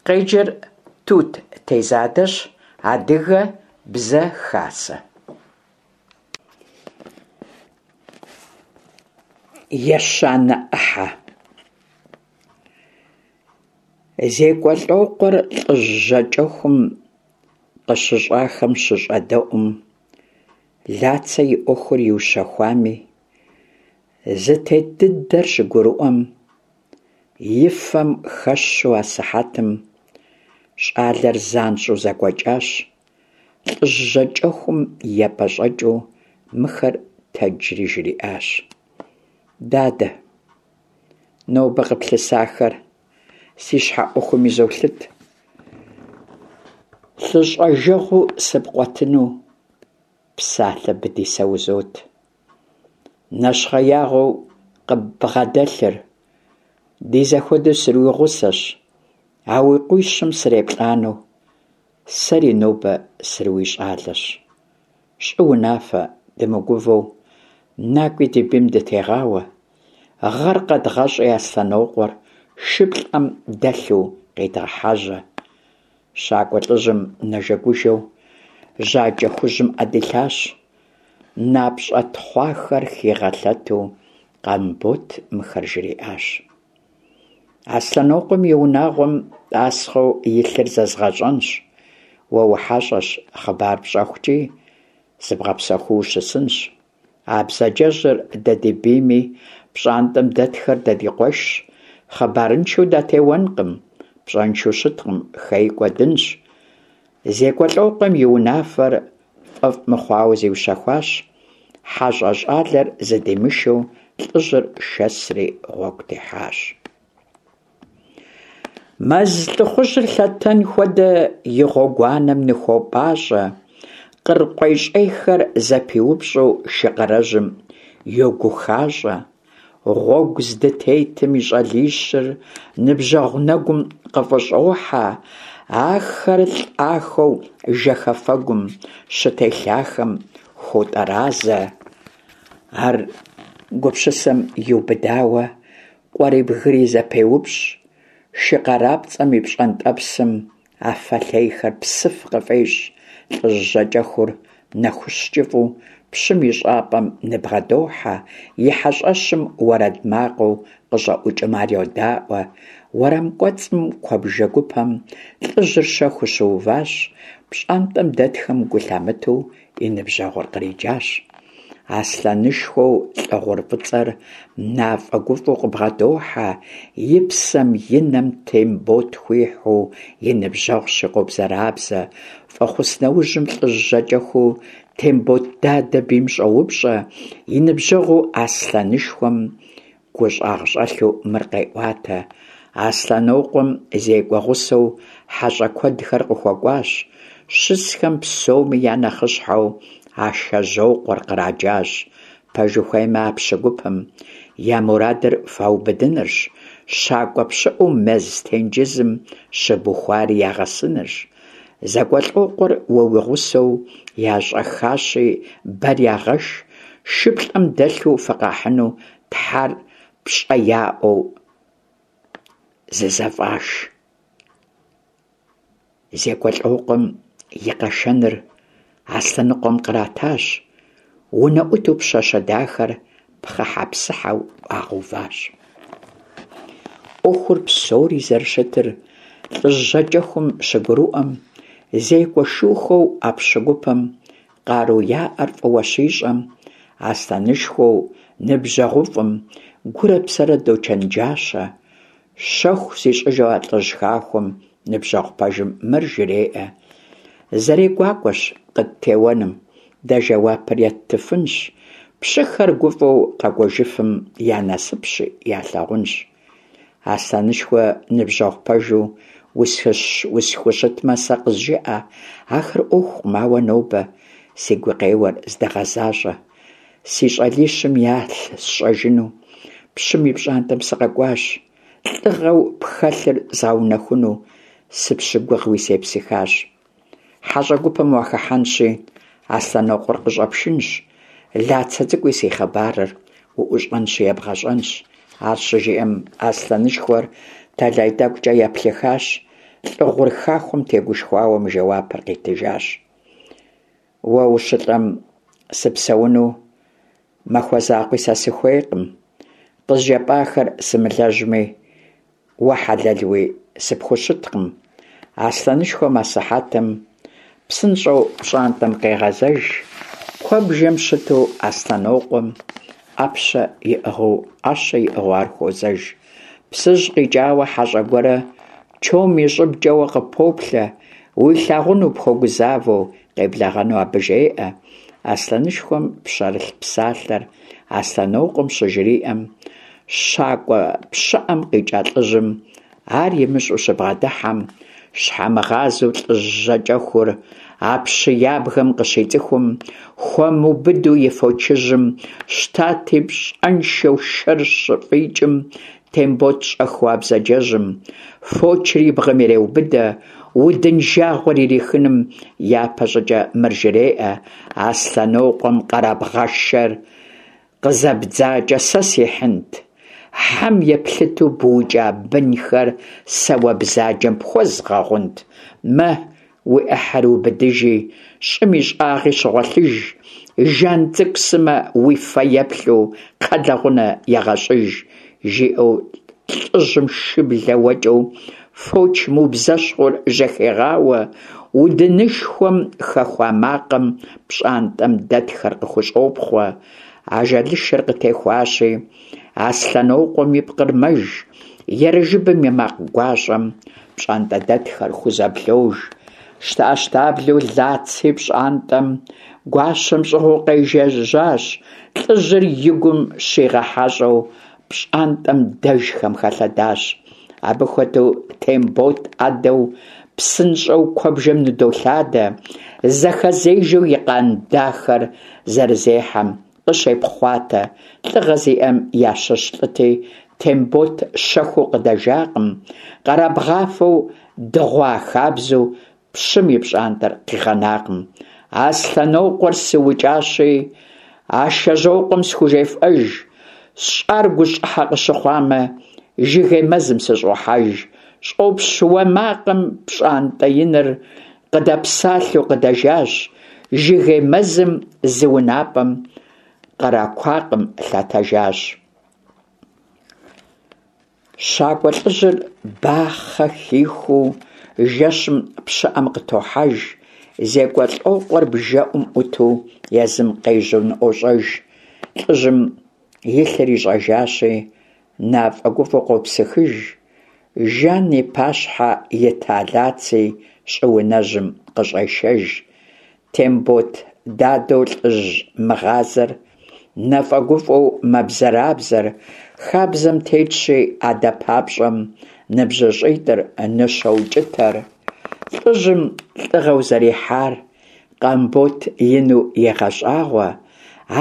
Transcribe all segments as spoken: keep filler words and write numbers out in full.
Къеджэр Тут Тезадэщ, Адыгэ Бзэ Хасэ. Ещанэ ӏыхьэ. ЗекӀуэлӀокъуэр лӀыжь жьакӀэхум къыщыщӀахэм щыщӀэдэӀум, Лацэ и Ӏуэхур иущэхуами, зытет дыдэр щыгурыӀуэм, и фэм хэщу асыхьэтым щӀалэр занщӀэу зэкӀуэкӀащ, лӀыжь жьакӀэхум епӀэщӀэкӀыу мыхэр тэджри жриӀащ: Дадэ, нобэ къыплъысахэр си щхьэ Ӏуэхум изолъыт, лъыщӀэжэгъуу сыпкъуэтыну псалъэ быди сэ узот. Нэщхъеягъуэу къыббгъэдэлъыр ди зэхуэдэу срыуигъусэщ, а уи къуищым сыреплӀанэу сэри нобэ срыуищӀалэщ. ЩӀы унафэ, дымыгувэу накӀуи ди бийм дытегъауэ, гъэр къэдгъэщӀи Аслъэнокъуэр шыплӀэм дэлъу къедгъэхьэжьэ. ЩакӀуэ лӀыжьым нэжэгужэу жьакӀэ хужьым Ӏэ дилъащ, напщӀэ тхъуахэр хигъэлъэту Къамбот мыхэр жриӀащ: Аслъэнокъуэм и унагъуэм тӀасхъэу илъыр зэзгъэщӀэнщ, уэ ухьэщӀэщ, хъыбар пщӀэхукӀи зыбгъэпсэхуу ущысынщ. А бзаджэжьыр дэ ди бийми, пщӀантӀэм дэтхэр дэ ди къуэшщ, хъыбарыншэу датеуэнкъым, пщӀэншэу щыткъым, хей кӀуэдынщ. ЗекӀуэлӀокъуэм и унафэр фӀэфӀ мыхъуауэ зиущэхуащ, хьэщӀэ щӀалэр зыдимышэу лӀыжьыр шэсри гъуэгу техьащ. Мэз лӀыхъужьыр лъэтэн хуэдэ и гъуэгуанэм ныхуопӀащӀэ, къыр къуейщӀейхэр зэпиупщӀу шы къарэжьым йогухащӀэ. Гъуэгу здытетым и щӀалищыр ныбжьэгъу нэгум къыфӀыщӀохьэ, ахэр лӀахэу жэхэфэгум щытелъахэм хуотӀэразэ. Ар гупсысэм иубыдауэ къуэри бгыри зэпеупщӀ, шы къарапцӀэм и пщӀэнтӀэпсым афэ лъейхэр псыф къыфӀещӀ. ЛӀыжь жьакӀэхур нэхущ кӀыфӀу пщым и щӀапӀэм ныбгъэдохьэ, и хьэщӀэщым уэрэд макъыу къыщӀэӀукӀым ар йодаӀуэ. Уэрам кӀуэцӀым куэбжэ гупэм лӀыжьыр щэхуу щыуващ, пщӀантӀэм дэтхэм гу лъамытэу и ныбжьэгъур къриджащ. Аслъэнышхуэу лӀы гъур фӀыцӀэр нафӀэгуфӀэу къыбгъэдохьэ, и псэм и нэм Тембот хуихьу и ныбжьэгъущи къобзэрабзэ. ФӀэхъус нэужьым лӀыжь жьакӀэхуу Тембот дадэ бийм щӀоупщӀэ, и ныбжьэгъуу Аслъэнышхуэм гущӀагъщӀэлъу мыр къеӀуатэ: Аслъэнокъуэм зекӀуэ гъусэу хьэщӀэ куэдхэр къыхуэкӀуащ, щысхэм псоми я нэхъыщхьэу Ашэжьокъуэр къраджащ. Пэж ухуеймэ, а пщы гупым я мурадыр фаубыдынырщ, щакӀуэ пщыӀэу мэз тенджызым щыбухуари ягъэсынырщ. ЗекӀуэлӀокъуэр уэ уи гъусэу ящӀэххащи, бэр ягъэш, шыплӀэм дэлъу фыкъахьыну тхьэр пщӀэ яӀуэу зызэфӀаш. ЗекӀуэлӀокъуэм и къэшэныр Аслъэныкъуэм къратащ, унэӀуту пщащэ дахэр пхъыхьэ-псыхьэу Ӏуагъэуващ. Ӏуэхур псори зэрыщытыр лӀыжь жьакӀэхум щыгурыӀуэм, зекӀуэ шухэу а пщы гупым къару яӀэр фӀыуэ щищӀэм, Аслъэнышхуэу ныбжьэгъуфӀым гурэ псэрэ дочэнджащэ. Щэху зищӀыжу а лӀыжь хахуэм ныбжьэгъу пэжым мыр жреӀэ: ЗэрегуакӀуэщ къыттеуэным, дэ жэуапыр еттыфынщ, пщыхэр гуфӀэу къэкӀуэжыфым я насыпщи, ялъагъунщ. Аслъэнышхуэ ныбжьэгъу пэжу усхущытмэ, сэ къызжыӀэ, ахэр Ӏуэхукъым, ауэ нобэ си гукъеуэр здэгъэзащӀэ. Си щӀалищым ялъ сщӀэжыну пщым и пщӀантӀэм сыкъэкӀуащ, лӀыгъэу пхэлъыр згъэунэхуну сыпщыгугъыуи сепсыхащ. ХьэщӀэ гупым уахыхьэнщи, Аслъэнокъуэр къыщӀэпшынщ, Лацэ цӀыкӀуи си хъыбарыр уӀущӀэнщи ебгъэщӀэнщ. Ар щыжиӀэм, Аслъэнышхуэр тэлай тӀэкӀукӀэ еплъыхащ, Лӏы гъур хахуэм тегушхуауэ мы жэуапыр къитыжащ: Уэ ущылӏэм сыпсэуну махуэ закъуи сэ сыхуейкъым, къызжепӏахэр сымылэжьми, уэ хьэлэлуи сыпхущыткъым. Аслъэнышхуэм асыхьэтым псынщӏэу пщӏантӏэм къегъэзэж, куэбжэм щыту Аслъэнокъуэм ӏэпщэ иӏыгъыу, ӏэщэ иӏыгъыу ар хуозэж. Псыжь къикӏауэ хьэщӏэ гуэрэ чом и щӏыбкӏэ уэ къыппоплъэ, уилъагъуну пхуэгузавэу, къеблэгъэну абы жеӏэ. Аслъэнышхуэм пщэрылъ псалъэр Аслъэнокъуэм щыжриӏэм, щакӏуэ пщыӏэм къикӏа лӏыжьым ар имыщӏэу щыбгъэдыхьэм, щхьэмыгъазэу лӏыжь жьакӏэхур а пщы ябгэм къыщицӏыхум, хуэмыубыду и фочыжьым, щтати, пщӏэншэу шэр щыфӏикӏым, Тембот щӏэхыу а бзаджэжьым фочыр и бгъэм иреубыдэ, удын жагъуэр ирихыным япэ щӏыкӏэ мыр жреӏэ: Аслъэнокъуэм къэрабгъэшэр къызэбдзакӏэ сэ сихьынт? Хьэм еплъыту быукӏа бынхэр сэ уэ бзаджэм пхуэзгъэгъунт? Мэ, уи ӏыхьэр убыдыжи, щӏым и щӏагъи щыгъуэлъыж, Жан цӏыкӏу сымэ уи фэ еплъу кхъэлэгъунэ егъэщӏыж, – жиӏэу лӏыжьым шыблэ уэкӏэу фоч мыубзэщхъур жьэхегъауэ, удынышхуэм хэхуа макъым пщӏантӏэм дэтхэр къыхущӏопхъуэ. Ажалышэр къытехуащи, Аслъэнокъуэм и пкъыр мэж, ерыжыбым и макъ гуащӏэм пщӏантӏэдэтхэр хузэблож. Щтэӏэщтаблэу Лаци пщӏантӏэм гуащэм щӏыгъуу къежэжьащ, лӏыжьыр и гум щигъэхьэщӏэу пщӏантӏэм дэжхэм хэлъэдащ. Абы хуэдэу Тембот ӏэдэу псынщӏэу куэбжэм ныдолъадэ, зэхэзежэу и къан дахэр зэрызехьэм къыщепхъуатэ. Лӏыгъэ зиӏэм ящыщ лӏыти, Тембот щэхуу къыдэжакъым, къэрабгъафэу дыгъуа хабзэу пщым и пщӏантӏэр къигъэнакъым. Аслъэнокъуэр сыукӏащи, Ашэжьокъуэм схужефӏэж, сщӏар гущӏыхьэ къыщыхъуамэ, жыгей мэзым сыщӏохьэж. Щӏопщ уэ макъым пщӏантӏэ иныр къыдэпсалъэу къыдэжащ, жыгей мэзым зы унапӏэм къыракуакъым лъэтэжащ. Щакӏуэ лӏыжьыр бахъэ хихуу жэщым пщыӏэм къытохьэж, ЗекӀуэлӀокъуэр бжэӏум ӏуту езым къежьэу ныӏуощӏэж. Лӏыжьым и лъыр ищӏэжащи, нэфӏэгуфӏэу къопсыхыж, Жан и пащхьэ ита Лаци щӏыунэжьым къыщӏешэж. Тембот дадэу лӏыжь мыгъазэр нэфӏэгуфӏэу мэбзэрабзэр, хабзэм тетщи, адэ папщӏэм ныбжьыщӏитӏыр ныщоукӏытэр. Лӏыжьым лӏыгъэу зэрихьар Къамбот ину егъэщӏагъуэ,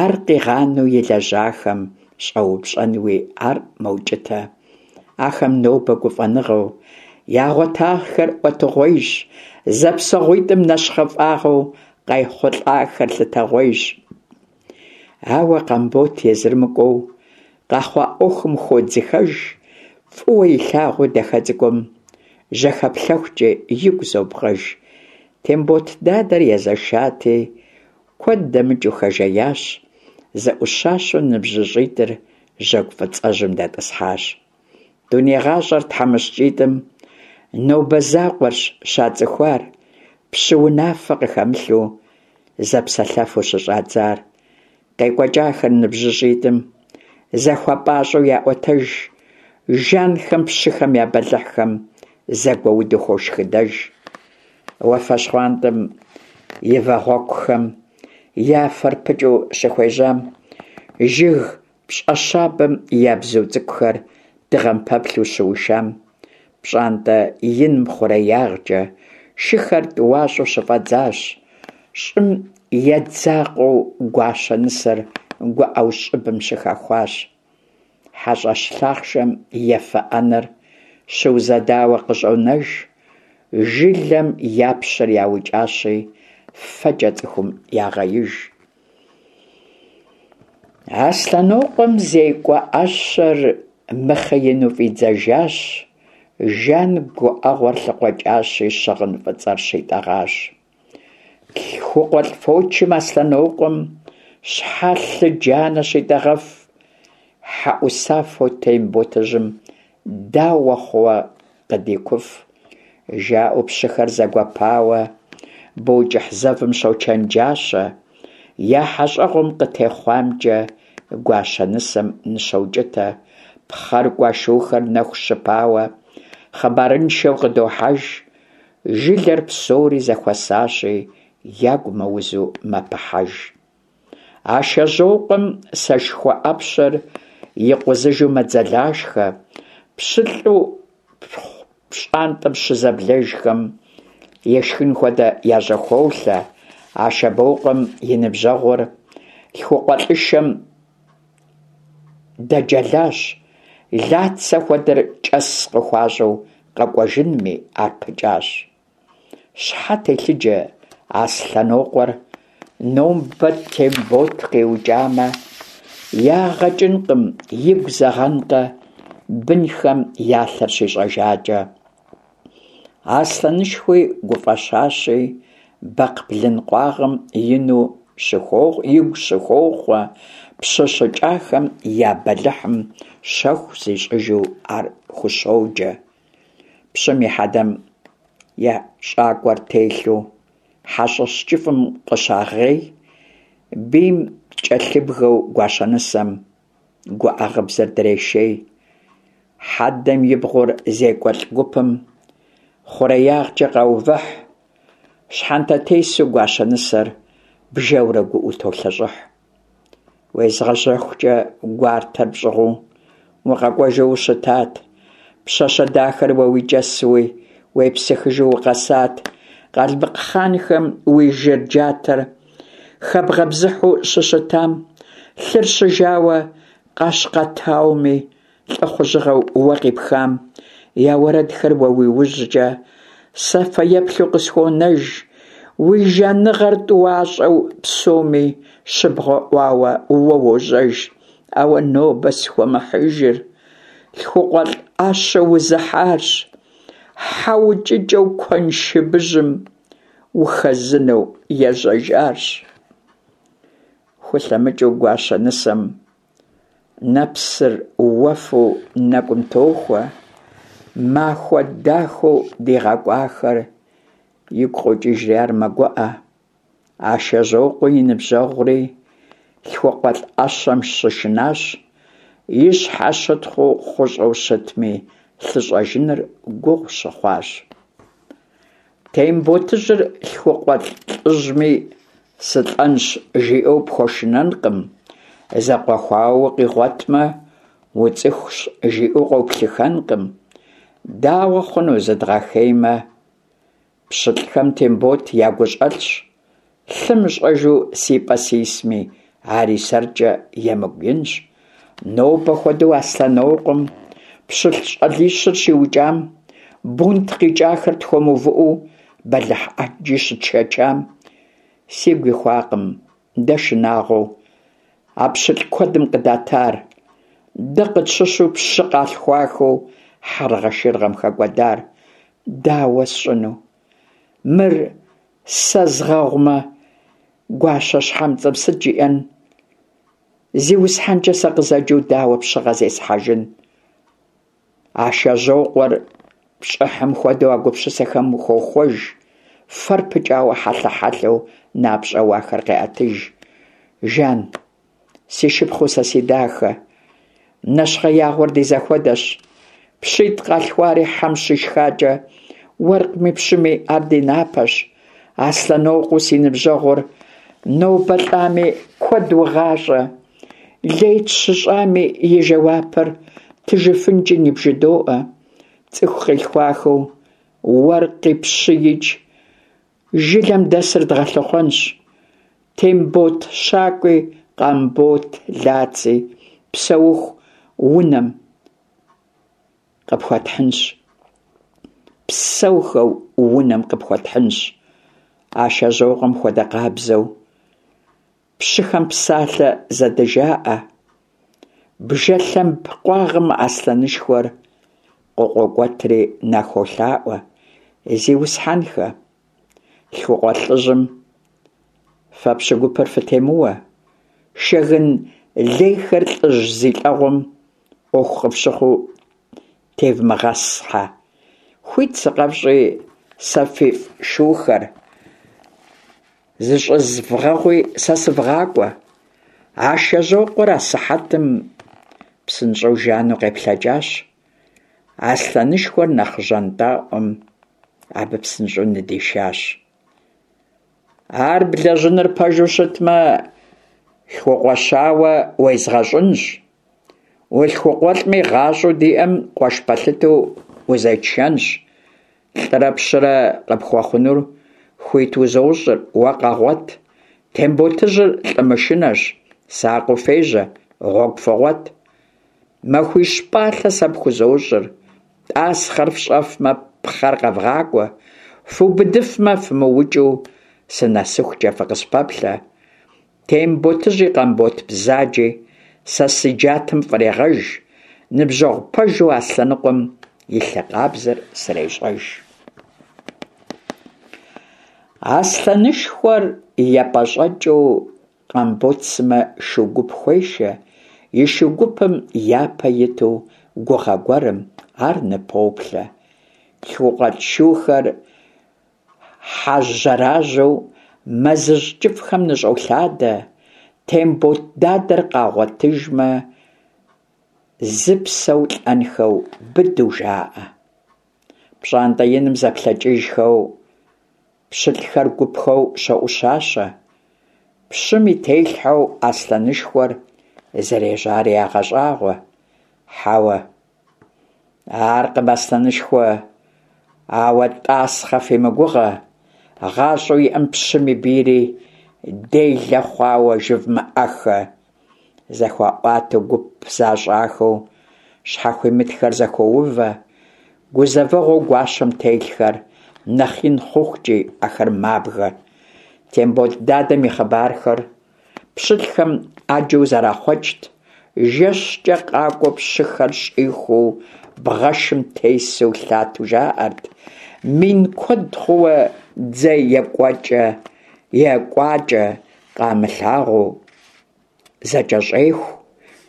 ар къигъанэу илэжьахэм щӏэупщӏэнуи ар мэукӏытэ. Ахэм нобэ гуфӏэныгъэу ягъуэтахэр ӏуэтэгъуейщ, зэпсэгъуитӏым нэщхъыфӏагъэу къайхъулӏахэр лъытэгъуейщ. Ауэ Къамбот езыр мыкӏуэу къэхъуа ӏуэхум хуодзыхэж, фӏыуэ илъагъуу дахэ цӏыкӏум жьэхэплъыхукӏи игу зобгъэж. Тембот дадэр езэшати, куэд дэмыкӏыу хэжеящ, зэӏущащэу ныбжьыщӏитӏыр жьэгу фӏыцӏэжьым дэтӏысхьащ. Дуней гъащӏэр тхьэмыщкӏитӏым нобэ закъуэрщ щацӏыхуар, пщы унафэ къыхэмылъу зэпсэлъэфу щыщӏадзар. Къекӏуэкӏахэр ныбжьыщӏитӏым зэхуэпӏащӏэу яӏуэтэж, жанхэм пщыхэм я бэлыхьхэм зэгуэуду хуошхыдэж. Уафэ щхъуантӏэм и вагъуэкухэм я фэр пыкӏыу щыхуежьам, жыг пщӏэщабэм я бзу цӏыкӏухэр дыгъэм пэплъэу щыушам, пщӏантӏэ иным хъуреягъкӏэ шыхэр тӏуащӏэу щыфӏэдзащ, щӏым едзакъэу гуащэ нысэр гуӏэу щӏыбым щыхэхуащ. Хьэщӏэщ лъахъшэм ефэ ӏэнэр щыузэдауэ къыщӏонэж, жылэм я пщыр яукӏащи, фэкӏэ цӏыхум ягъеиж. Аслъэнокъуэм зекӏуэ ӏэщэр мыхъеину фӏидзэжащ, Жан гуӀэгъуэр лъыкъуэкӀащи, щыгъын фӀыцӀэр щитӀэгъащ. ЛъхукъуэлӀ фочым Аслъэнокъуэм щхьэ лъы джанэ щитӀэгъэф? ХьэӀусафэу Темботыжьым дауэ хъууэ къыдикуф? ЖаӀэу пщыхэр зэгуэпауэ бо кӀыхь зэвым щочэнджащэ. Я хьэщӀэгъуэм къытехъуамкӀэ гуащэ нысэм ныщоукӀытэ. Пхъэр кӀуа шухэр нэху щыпауэ хъыбарыншэу къыдохьэж. Жылэр псори зэхуэсащи, ягу мыузу мэпыхьэж. Ашэжьокъуэм сэшхуэ Ӏэпщэр икъузыжу мэдзэлашхэ, пщылӀу пщӀантӀэм щызэблэжхэм ишхын хуэдэ яжьэхолъэ. Ашабокъуэм и ныбжьэгъур лъхукъуэлӀышэм дэджэлащ, Лацэ хуэдэр кӀэс къыхуащӀу къэкӀуэжынми ар пыкӀащ. Щхьэ телъыджэ Аслъэнокъуэр нобэ Тембот къиукӀамэ, ягъэ кӀынкъым, игу зэгъэнкъэ, бынхэм я лъыр щищӀэжакӀэ. Аслъэнышхуи гуфӀэщащи, бэкхъ блын къуагъым игу щыхохъуэ, пщы щыкӀахэм я бэлыхьым щэху зищӀыжу ар хущоджэ. Пщым и хьэдэм я щӀакӀуэр телъу хьэщӀэщ кӀыфӀым къыщагъей, бийм кӀэлъыбгэу гуащэнысэм гуӀэ гъыбзэр дрешей. Хьэдэм и бгъур зекӀуэлӀ гупым хъуреягъкӀэ къаувыхь, щхьэнтэтесу гуащэнысэр бжэурэ гуӀэу толъэщӀыхь. УезгъэжьэхукӀэ гуартэр пщӀыгъуу укъэкӀуэжу ущытат, пщащэ дахэр уэ уи кӀэсуи уепсыхыжу укъэсат, къалмыкъ хъанхэм уи жыр джатэр хэбгъэбзыхьу щыщытам, лъыр щыжауэ Къэщкъэтауми лӀыхъужьыгъэу уэ къипхам я уэрэдхэр уэ уи ужькӀэ сэ фэеплъу къысхуонэж, уи жаныгъэр тӀуащӀэу псоми щыбгъэӀуауэ уэ уожьэж. Ауэ нобэ схуэмыхьыжыр лъхукъуэлӀ Ӏэщэу узыхьарщ, хьэ укӀыкӀэу куэншыбыжьым ухэзынэу ежьэжарщ. ХулъэмыкӀыу гуащэ нысэм нэпсыр уэфу нэкӀум тохуэ, махуэ дахэу дигъэкӀуахэр игу къокӀыжри ар мэгуӀэ. Ашэжьокъуи и ныбжьэгъури лъхукъуэлӀ Ӏэщэм щышынащ, и щхьэ щытхъуу хъущӀэу щытми, лъы щӀэжыныр гугъу щыхъуащ. Темботыжьыр лъхукъуэлӀ лӀыжьми, сылӀэнщ жиӀэу пхуэшынэнкъым, зэкъуэхуауэ укъигъуэтмэ, уцӀыхущ жиӀэу къоплъыхэнкъым. Дауэ хъуну зыдгъэхеймэ? ПщылӀхэм Тембот ягущӀэлъщ, лъы мыщӀэжу си пӀэ сисми, ари сэркӀэ емыкӀу инщ. Нобэ хуэдэу Аслъэнокъуэм пщылӀ щӀалищыр щиукӀам, бунт къикӀахэр тхуэмыувыӀэу бэлыхь Ӏэджи щытшэчам, сигу ихуакъым дэ шынагъуэу а пщылӀ куэдым къыдатар, дэ къытщыщу пщы къалъхуахэу хьэргъэшыргъэм хэкӀуэдар. Дауэ сщӀыну? Мыр сэ згъэгъумэ, гуащэ щхьэмцӀэм сыт жиӀэн? ЗиусхьэнкӀэ сэ къызэджэу дауэ пщыгъэ зесхьэжын? Ашэжьокъуэр пщӀыхьым хуэдэу а гупсысэхэм хохуэж, фэр пыкӀауэ хьэлъэ-хьэлъэу напщӀэ уахэр къеӀэтыж. Жан, си шыпхъуу сэ си дахэ, нэщхъеягъуэр ди зэхуэдэщ. ПщитӀ къалъхуари хьэм щишхакӀэ, уэркъми пщыми ар ди напэщ. Аслъэнокъуэу си ныбжьэгъур нобэ лӀами, куэд угъащӀэ. Лей тщыщӀами и жэуапыр ттыжыфынкӀи ныбжыдоӀэ. ЦӀыху къилъхуахэу уэркъи пщыикӀ жылэм дэсыр дгъэлъыхъуэнщ. Тембот щакӀуи, Къамбот Лаци псэуху унэм къыпхуэтхьынщ. Псэухэу унэм къыпхуэтхьынщ. Ашэжьокъуэм хуэдэ къабзэу пщыхэм псалъэ зэдыжаӀэ. Бжэ лъэмб къуагъым аслъэнышхуэр къыкъуокӀуэтри нахуолъаӀуэ: «Зиусхьэнхэ, лъхукъуэлӀыжьым фэ пщы гупыр фытемыуэ, шэгын лейхэр лӀыжь зи лӀэгъуэм Ӏуэху къыфщыхъуу тевмыгъэсхьэ, хуит сыкъэфщӀи сэ фифӀ шухэр зыщӀызвгъэгъуи сэ сывгъакӀуэ». Ашэжьокъуэр асыхьэтым псынщӀэу жану къеплъэкӀащ, Аслъэнышхуэр нэхъ жьантӀэӀуэм абы псынщӀэу ныдишащ. Ар блэжьыныр пэжу щытмэ, лъхукъуэщауэ уезгъэщӀынщ, улъхукъуэлӀми, гъащӀэу диӀэм къуэш пэлъытэу узетшэнщ, лӀырэ пщырэ къыпхуэхъунур хуит узощӀыр, уэ къэгъуэт, Темботыжьыр лӀы мышынэщ, сакъыу фежьэ, гъуэгу фыгъуэт. Махуищ пӀалъэ сэ пхузощӀыр, тӀасхъэр фщӀэфмэ, пхъэр къэвгъакӀуэ, фубыдыфмэ, фымыукӀыу сынэсыхукӀэ фыкъыспэплъэ. Темботыжьи Къамбот бзаджи сэ си джатэм фӀрегъэж, ныбжьэгъу пэжу Аслъэныкъуэм и лъы къабзэр срещӀэж. Аслъэнышхуэр епӀэщӀэкӀыу Къамбот сымэ шу гуп хуешэ, и шу гупым япэ иту гугъэ гуэрым ар ныпоплъэ. ЛъхукъуэлӀ шухэр хьэжьэражьэу мэзыжь кӀыфӀхэм ныщӀолъадэ, Тембот дадэр къагъуэтыжмэ, зы псэу лӀэнхэу быдэу жаӀэ. ПщӀантӀэ иным зэплъэкӀыжхэу пщылӀхэр гупхэу щоӀущащэ, пщым и телъхьэу Аслъэнышхуэр зэрежьари ягъэщӀагъуэ. Хьэуэ, аркъым, Аслъэнышхуэ, ауэ тӀасхъэ фимыгугъэ, гъащӀэу иӀэм пщым и бийри делэ хъуауэ жывмыӀэххэ. ЗэхуаӀуатэу гуп защӀахэу щхьэхуимытхэр зэхоувэ, гузэвэгъуэу гуащэм телъхэр нэхъ ин хъухукӀи ахэр мабгэ. Тембот дадэм и хъыбархэр пщылӀхэм Ӏэджэу зэрахъуэкӀт, жэщкӀэ къакӀуэу пщыхэр щӀихуу бгъэшым тесу лъатэу жаӀэрт, мин куэд хъууэ дзэ екӀуакӀэ къамылъагъуу зэкӀэщӀеху,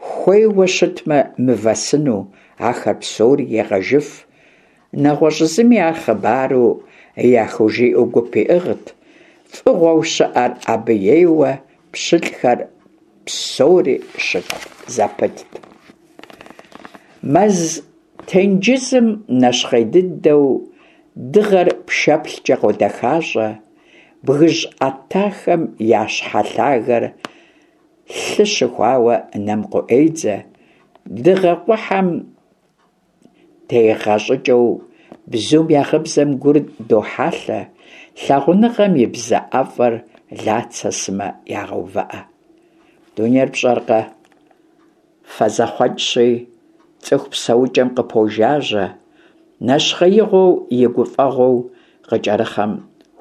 хуейуэ щытмэ, мывэ сыну ахэр псори егъэжыф, нэгъуэщӀ зыми ар хъыбару яхужиӀэу гуп иӀыгът, фӀыгъуэу щыӀэр абы ейуэ пщылӀхэр псори щытхъу зэпытт. Мэз тенджызым нэщхъей дыдэу дыгъэр пшэплъкӀэ къодэхащӀэ, бгыжь Ӏэтахэм я щхьэ лъагэр лъы щыхуауэ нэм къыӀуедзэ, дыгъэ къухьэм тегъэ щӀыкӀэу бзум я гъыбзэм гур дохьэлъэ, лъагъуныгъэм и бзэ ӀэфӀыр Лацэ сымэ ягъэувыӀэ. Дунейр пщӀэркъэ, фэзэхъуэкӀщи, цӀыху псэукӀэм къыпожажьэ, нэщхъеигъуэу и гуфӀэгъуэу къыкӀэрыхъэм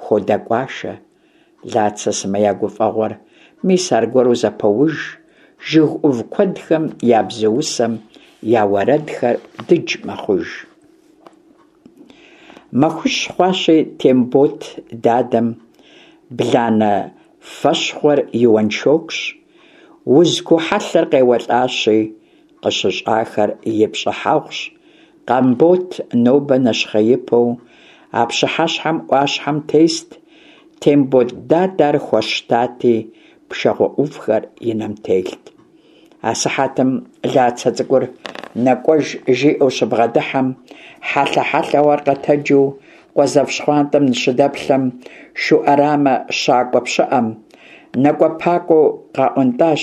хуодэкӀуашэ. Лацэ сымэ я гуфӀэгъуэр мис аргуэру зэпоуж, жыг Ӏув куэдхэм я бзуусэм я уэрэдхэр дыдж мэхъуж. Махуищ хъуащи, Тембот дадэм бланэ фэщхъуэр и уэншокущ, уз куу хьэлъэр къеуэлӀащи, къыщыщӀахэр и пщӀыхьэгъущ. Къамбот нобэ нэщхъеипэу а пщыхьэщхьэм Ӏуащхьэм тест, Тембот дадэ ар хуэщтати, пшагъуэ Ӏувхэр и нэм телът. Асыхьэтым Лацэ цӀыкӀур нэкӀуэж жиӀэу щыбгъэдыхьэм, хьэлъэ-хьэлъэу ар къэтэджу къуэ зэв щхъуантӀэм ныщыдэплъэм, шу Ӏэрамэ щакӀуэ пщыӀэм нэкӀуэпакӀуэу къаӀуэнтӀащ,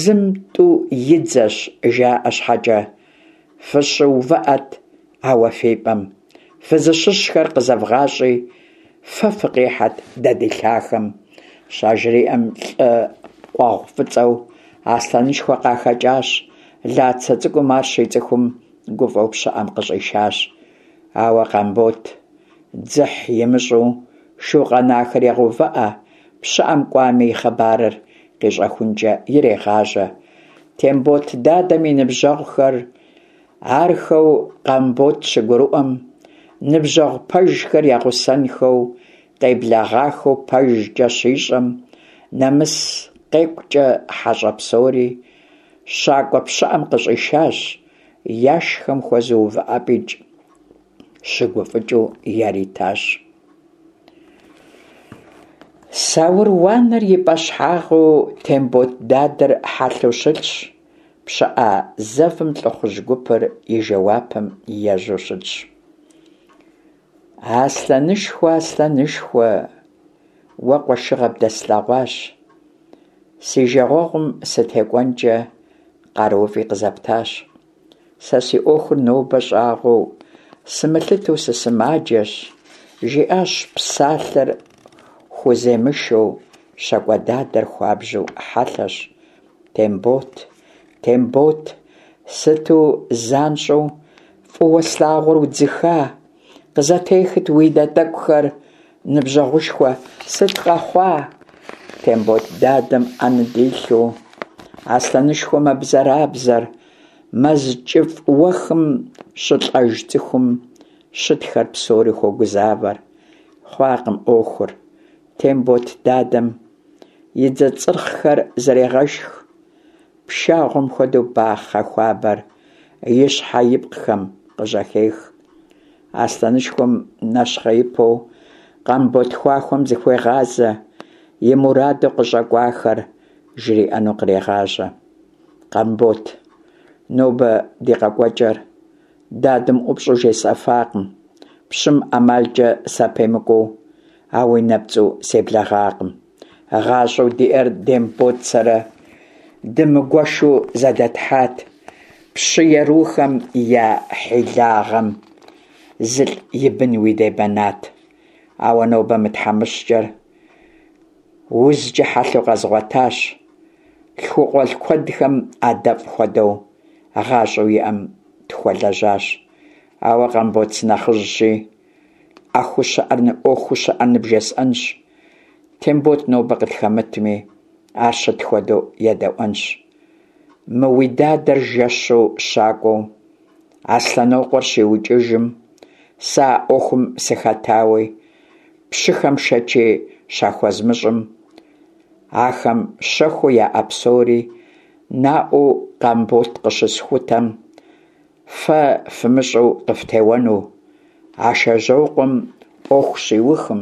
зым тӀу и дзэщ, жаӀэ щхьэкӀэ, фыщыувыӀэт ауэ фи пӀэм, фызыщыщхэр къызэвгъащӀи, фэ фыкъихьэт дэ ди лъахэм, щажриӀэм, лӀы къуэгъу фӀыцӀэу Аслъэнышхуэ къахэкӀащ, Лацэ цӀыкӀум ар щицӀыхум, гуфӀэу пщыӀэм къыщӀишащ. Ауэ Къамбот дзыхь имыщӀу шу къэнахэр егъэувыӀэ, пщыӀэм кӀуами и хъыбарыр къищӀэхункӀэ ирегъажьэ. Тембот дадэм и ныбжьэгъухэр Архэу Къамбот щыгурыӀуэм, ныбжьэгъу пэжхэр ягъусэнхэу къеблэгъахэу пэжкӀэ щищӀэм, нэмыс къекӀукӀэ хьэщӀэ псори щакӀуэ пщыӀэм къыщӀишащ, яшхэм хуэзэу увыӀэпӀикӀ щыгуфӀыкӀыу яритащ. Саур уанэр и пӀэщхьагъыу Тембот дадэр хьэлъэу щылъщ, пщыӀэ зэвым лӀыхъужь гупыр и жэуапым ежьэу щытщ. Аслъэнышхуэ, аслъэнышхуэ, уэ къуэшыгъэ бдэслъэгъуащ, си жагъуэгъум сытекӀуэнкӀэ къарууфӀи къызэптащ. Сэ си Ӏуэхур нобэ щӀагъуэу сымылъытэу сысымаджэщ, жиӀащ псалъэр хуземышэу, щакӀуэ дадэр хуабжьу хьэлъэщ. Тембот, Тембот, сыту занщӀэу фӀыуэ слъагъур удзыха? Къызэтехыт уи нэ тӀэкӀухэр, ныбжьэгъушхуэ, сыт къэхъуа? Тембот дадэм Ӏэ ныдилъэу, Аслъэнышхуэ мэбзэрабзэр, мэз кӀыфӀ уэхым щылӀэж цӀыхум щытхэр псори хуогузавэр. Хъуакъым Ӏуэхур, Тембот дадэм и дзэ цӀырхъхэр зэрегъэшх, пшагъуэм хуэдэу бахъэ хуабэр и щхьэ-ипкъхэм къыжьэхех. Аслъэнышхуэм нэщхъеипэу Къамбот хахуэм зыхуегъазэ, и мураду къыщӀэкӀуахэр жриӀэну кърегъажьэ. Къамбот, нобэ ди къэкӀуэкӀэр дадэм ӀупщӀу жесӀэфакъым, пщым ӀэмалкӀэ сапемыкӀуу, ауи нэпцӀу себлэгъакъым. ГъащӀэу диӀэр Тембот сэрэ дымыгуэшу зэдэтхьат, пщы ерухэм я хьилагъэм зылӀ и бынуи дебэнат. Ауэ нобэ мы тхьэмыщкӀэр узкӀэ хьэлъэу къэзгъуэтащ. ЛъхукъуэлӀ куэдхэм адэфӀ хуэдэу гъащӀэу иӀэм тхуэлэжьащ. Ауэ Къамбот сынэхъыжьщи, Ӏэхуу щыӀэр, Ӏуэхуу щыӀэр ныбжесӀэнщ. Тембот нобэ къытхэмытми, ар щыт хуэдэу едэӀуэнщ. Мы уи дадэр жэщу щакӀуэу Аслъэнокъуэр щиукӀыжым, сэ а Ӏуэхум сыхэтауи, пщыхэм шэчи щахуэзмыщӀым, ахэм щэхуу яӀэ псори наӀуэу Къамбот къыщысхутэм, фэ фымыщӀэу къыфтеуэну, Ашэжьокъуэм Ӏуэху щиухым,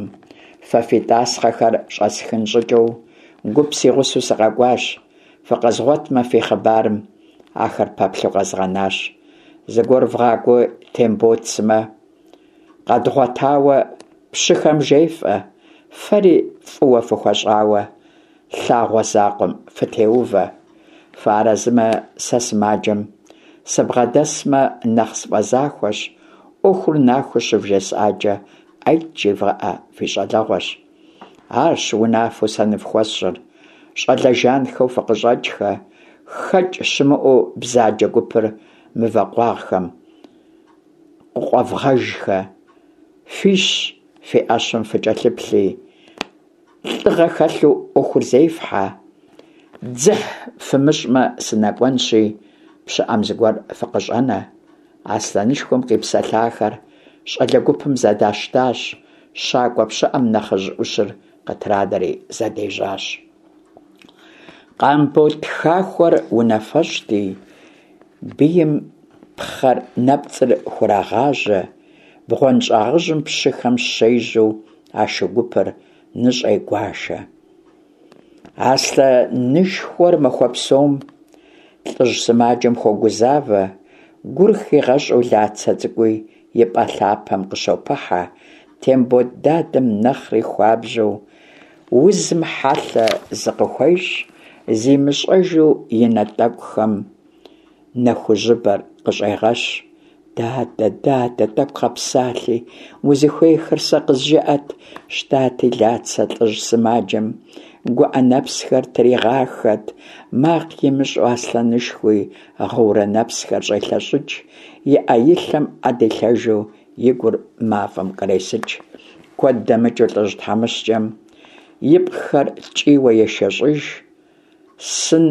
фэ фи тӀасхъэхэр щӀэсхын щӀыкӀэу гуп си гъусэу сыкъэкӀуащ, фыкъэзгъуэтмэ фи хъыбарым ахэр пэплъэу къэзгъэнащ. Зыгуэр вгъакӀуи Тембот сымэ къэдгъуэтауэ пщыхэм жефӀэ, фэри фӀыуэ фыхуэщӀауэ лъагъуэ закъуэм фытеувэ. Фыарэзымэ, сэ сымаджэм сыбгъэдэсмэ нэхъ сфӀэзахуэщ, Ӏуэхур нахуэу щывжесӀакӀэ, Ӏэйт жевгъэӀэ, фи щӀалэгъуэщ. Арщ унафэу сэ ныфхуэсщӀыр, щӀалэ жанхэу фыкъыщӀэкӀхэ, хэкӀ щымыӀэу бзаджэ гупыр мывэ къуагъхэм къыкъуэвгъэжхэ, фиш, фи Ӏэщым фыкӀэлъыплъи, лӀыгъэ хэлъу Ӏуэхур зефхьэ. Дзыхь фымыщӀмэ, сынэкӀуэнщи, пщыӀэм зыгуэр фыкъыщӀэнэ. Аслъэнышхуэм къипсэлъахэр щӀалэ гупым зэдащтащ, щакӀуэ пщыӀэм нэхъыжь Ӏущыр къытранэри зэдежьащ. Къамбот хахуэр унафэщӀти, бийм пхъэр нэпцӀыр хурагъажьэ, бгъуэнщӀагъыжьым пщыхэм щежьэу а шу гупыр ныщӀегуашэ. Аслъэнышхуэр махуэ псом лӀыжь сымаджэм хуогузавэ, гур хигъэщӀу Лацэ цӀыкӀуи и пӀэ лъапэм къыщопыхьэ. Тембот дадэм нэхъри хуабжьу узым хьэлъэ зыкъыхуещӀ, зимыщӀэжу и нэ тӀэкӀухэм нэхужьыбэр къыщӀегъэщ. Дадэ, дадэ, тӀэкӀу къэпсалъи, узыхуейхэр сэ къызжеӀэт, щтати, Лацэ лӀыжь сымаджэм гуӀэ нэпсхэр тригъахэт, макъ имыщӀу Аслъэнышхуи гъыурэ нэпсхэр щӀелъэщӀыкӀ, и Ӏэ-и лъэм Ӏэ дилъэжу и гур мафӀэм къресыкӀ. Куэд дэмыкӀыу лӀыжь тхьэмыщкӀэм ипкъхэр ткӀийуэ ешэщӀыж, сын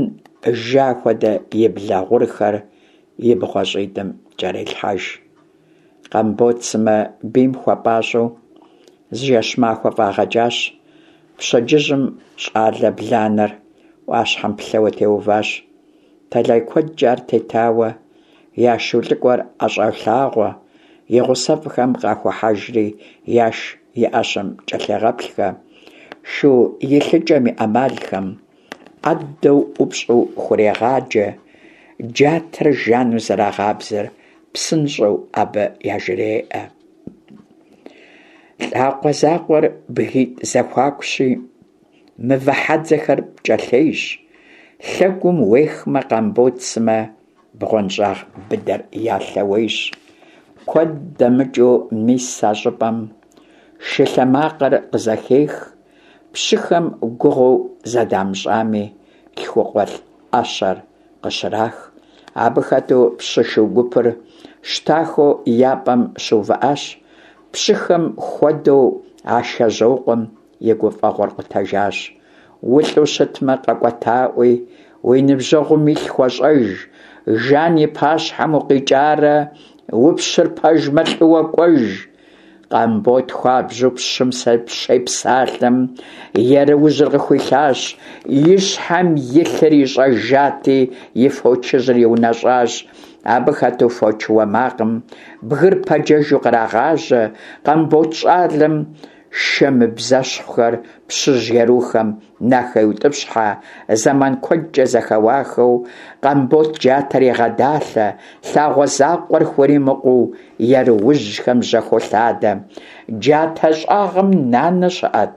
жа хуэдэ и блэ гъурхэр и бгъуэщӏитӏым кӏэрелъхьэж. Къамбот сымэ бийм хуэпӏащӏэу зы жэщ-махуэ фӏагъэкӏащ. Пщэдджыжьым щӏалэ бланэр ӏуащхьэм плъэуэ теуващ. Тэлай куэдкӏэ ар тетауэ, я шу лӏыкӏуэр ӏэщӏолъагъуэ, и гъусэфӏхэм къахохьэжри, яш и ӏэщэм кӏэлъегъэплъхэ, шу илъыкӏэм и ӏэмалхэм ӏэдэу ӏупщӏу хурегъаджэ, джатэр жану зэрагъабзэр псынщӏэу абы яжреӏэ. Лӏакъуэ закъуэр бгитӏ зэхуакущи, мывэ хьэдзэхэр пкӏэлъейщ. Лъэгум уехмэ, Къамбот сымэ бгъуэнщӏагъ быдэр я лъэуейщ. Куэд дэмыкӏыу мис а щӏыпӏэм шы лъэ макъыр къызэхех, пщыхэм гугъуу зэдамыщӏами, лъхукъуэлӏ ӏэщэр къыщрах. Абы хэту пщы шу гупыр щтахэу я пӏэм щыувыӏащ. Пщыхэм хуэдэу Ашэжьокъуэм и гуфӏэгъуэр къутэжащ. Улӏу щытмэ, къэкӏуэтаӏуи, уи ныбжьэгъум илъ хуэщӏэж, Жан и пащхьэм укъикӏарэ, упщыр пэжмэ, лӏыуэ кӏуэж. Къамбот хуабжьу пщым щепсалъэм, еруужьыр къыхуилъащ, и щхьэм илъыр ищӏэжати, и фочыжьыр иунэщӏащ. Абы хэту фоч уэ макъым бгыр пэджэжу кърагъажьэ. Къамбот щӏалэм шэ мыбзэщхъухэр пщыжь ерухэм нахеутӏыпщхьэ, зэман куэдкӏэ зэхэуахэу, Къамбот джатэр егъэдалъэ, лъагъуэ закъуэр хуримыкъуу, еруужьхэм жьэхолъадэ. Джатэ щӏагъым Нанэ щыӏэт.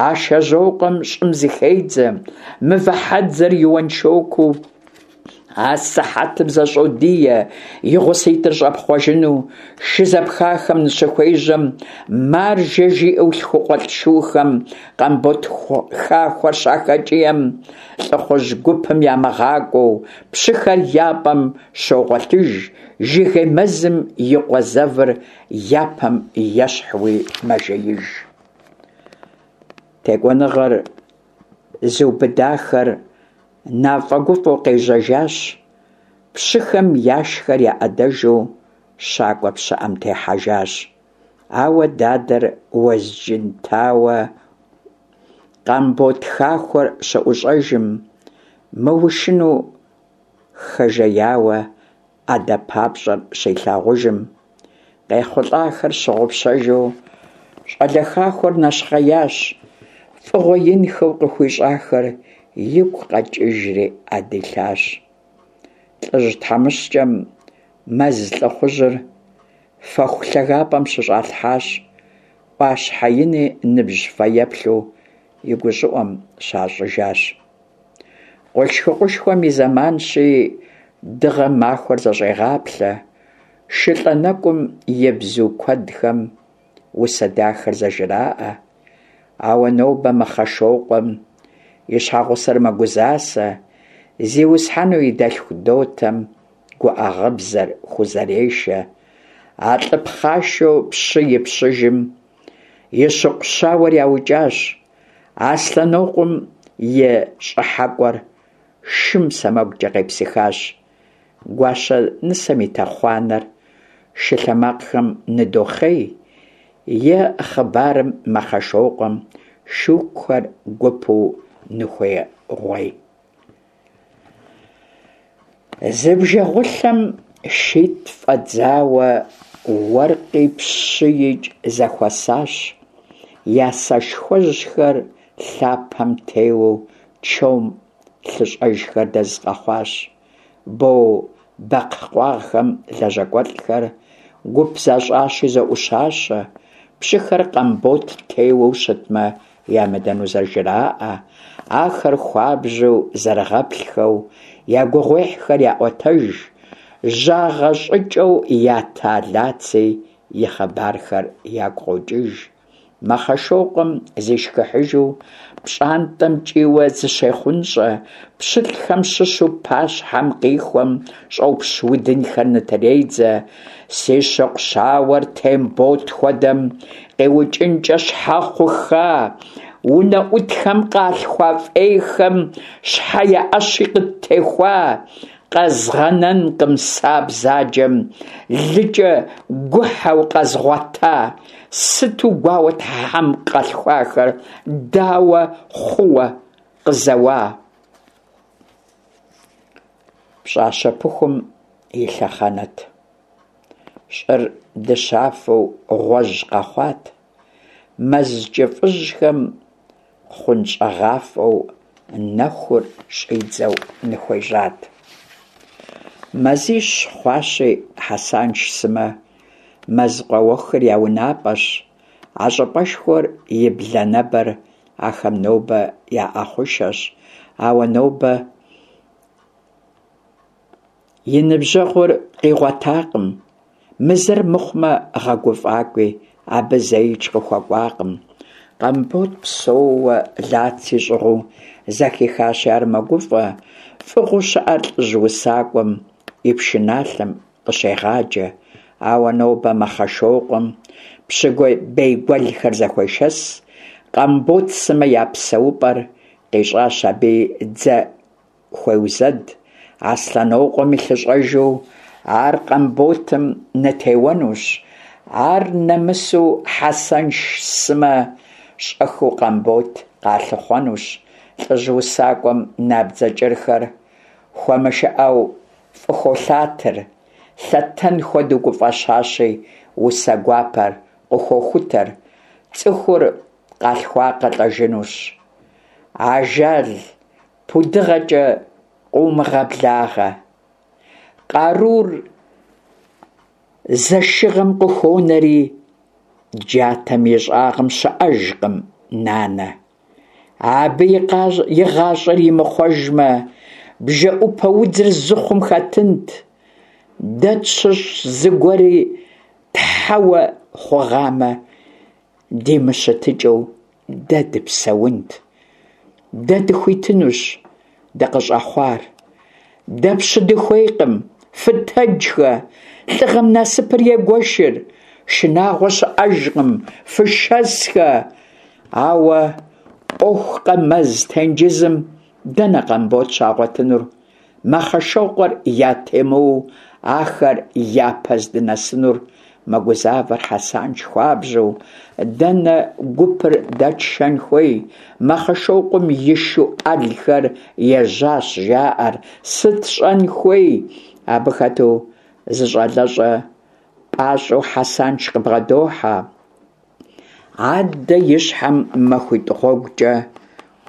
Ашэжьокъуэм щӏым зыхедзэ, мывэ хьэдзэр и уэншокуу. Асыхьэтым зэщӏодие, и гъуситӏыр щӏэпхъуэжыну шы зэпхахэм ныщыхуежьэм, маржэ жиӏэу лъхукъуэлӏ шухэм Къамбот хахуэр щахэкӏием, лӏыхъужь гупым ямыгъакӏуэу, пщыхэр я пӏэм щогъуэлъыж, жыгей мэзым и къуэ зэвыр япэм ещхьуи мэжеиж. Текӏуэныгъэр зыубыдахэр нафӏэгуфӏэу къежьэжащ, пщыхэм яшхэр я ӏэдэжу щакӏуэ пщыӏэм техьэжащ. Ауэ дадэр Уэзджынтауэ Къамбот хахуэр щыӏущӏэжым, мыушыну хэжеяуэ ӏэдэ папщӏэр щилъагъужым, къехъулӏахэр щыгъупщэжу щӏалэ хахуэр нэщхъеящ, фӏыгъуэ инхэу къыхуищӏахэр игу къэкӏыжри ӏэ дилъащ. Лӏыжь тхьэмыщкӏэм мэз лӏыхъужьыр фэху лъагапӏэм щыщӏалъхьащ, ӏуащхьэ ини ныбжь фэеплъу и гущӏыӏум щащӏыжащ. Къулъшыкъушхуэм и зэманщи, дыгъэм махуэр зэщӏегъаплъэ, шылӏэ нэкӏум и бзу куэдхэм усэ дахэр зэжраӏэ. Ауэ нобэ Мэхъэшокъуэм и щхьэгъусэр мэгузасэ, зиусхьэну и дэлъху дотэм гуӏэ гъыбзэр хузэрешэ. А лӏы пхъашэу пщы и пщыжым и щыкъу щауэр яукӏащ, Аслъэнокъуэм и щӏыхьэкӏуэр шым сэмэгукӏэ къепсыхащ. Гуащэ нысэм и тэхъуанэр шы лъэ макъхэм ныдохъей, е хъыбарым Мэхъэшокъуэм шукухэр гупу ныхуегъуей. Зы бжэгъулъэм шитӏ фӏэдзауэ уэркъи пщыикӏ зэхуэсащ, я сэшхуэжьхэр лъапэм теуэу чом лъыщӏэжхэр дэз къэхъуащ. Бо бэкхъ къуагъхэм лэжьакӏуэлӏхэр гуп защӏащи зоӏущащэ, пщыхэр Къамбот теуэу щытмэ, ямыдэну зэжраӏэ, ахэр хуабжьу зэрыгъэплъхэу я гугъуехьхэр яӏуэтэж, жьагъэ щӏыкӏэу ята Лаци и хъыбархэр ягу къокӏыж. Мэхъэшокъуэм зишхыхьыжу пщӏантӏэм кӏийуэ зыщехъунщӏэ, пщылӏхэм щыщу пащхьэм къихуэм щӏопщ удынхэр нытредзэ. Си щыкъу щауэр Тембот хуэдэм къиукӏынкӏэ щхьэ хъухха? Унэӏутхэм къалъхуа фӏейхэм щхьэ я ӏэщи къыттехуа? Къэзгъэнэнкъым сэ а бзаджэм лыкӏэ гухьэу къэзгъуэта. Сыту гуауэт хьэм къалъхуахэр, дауэ хъууэ къызэуа? Пщӏащэ пыхум и лъэхъэнэт. Щӏыр дыщафэу гъуэжь къэхъуат. Мэз кӏыфӏыжьхэм хъунщӏэгъафӏэу нэхур щӏидзэу ныхуежьат. Мазищ хъуащи, Хьэсанш сымэ мэзкъуэ уэхыр я унапӏэщ. А щӏыпӏэшхуэр и бланэбэр ахэм нобэ я ӏэхъушэщ. Ауэ нобэ и ныбжьэгъур къигъуэтакъым. Мы зэр мыхъумэ, гъэгуфӏакӏуи абы зэикӏ къыхуэкӏуакъым. Къамбот псэууэ Лаци щӏыгъуу зэхихащи, ар мэгуфӏэ. Фӏыгъуэу щыӏэр лӏыжь усакӏуэм и пшыналъэм къыщегъаджэ. Ауэ нобэ Мэхъэшокъуэм пщы бейгуэлхэр зэхуешэс. Къамбот сымэ я псэупӏэр къищӏащ абыи дзэ хуеузэд. Аслъэнокъуэм и лъыщӏэжу ар Къамботым нытеуэнущ. Ар нэмысу Хьэсанш сымэ щӏэхыу Къамбот къалъыхъуэнущ. Лӏыжь усакӏуэм набдзэ кӏырхэр хуэмышыӏэу фӏыхолъатэр, лъэтэн хуэдэу гуфӏэщащи, усэ гуапэр къыхохутэр. Цӏыхур къалъхуакъэ лӏэжынущ. Ажал пудыгъэкӏэ къыумыгъэблагъэ. Къарур зэшыгъэм къыхонэри, джатэм и щӏагъым щыӏэжкъым нанэ. Абы и гъащӏэр имыхъуэжмэ, бжэӏупэ удзыр зыхъум хэтынт. Дэ тщыщ зыгуэри тхьэуэ хъугъамэ, димыщытыкӏыу дэ дыпсэунт. Дэ дыхуитынущ дыкъыщӏэхъуар. Дэ пщы дыхуейкъым, фытэджхэ, лӏыгъэм насыпыр егуэшыр, шынагъуэ щыӏэжкъым, фышэсхэ. Ауэ ӏуэхукъэ мэз тенджызым дэнэ Къамбот щагъуэтынур? Мэхъэшокъуэр ятемыуэу ахэр япэ здынэсынур мэгузавэр Хьэсанш хуабжьу. Дэнэ гупыр дэтшэн хуей? Мэхъэшокъуэм и шу ӏэлхэр ежьащ, жаӏэр. Сыт щӏэн хуей? Абы хэту зы щӏалэщӏэ пӏащӏэу Хьэсанш къыбгъэдохьэ. Аддэ и щхьэм махуитӏ гъуэгукӏэ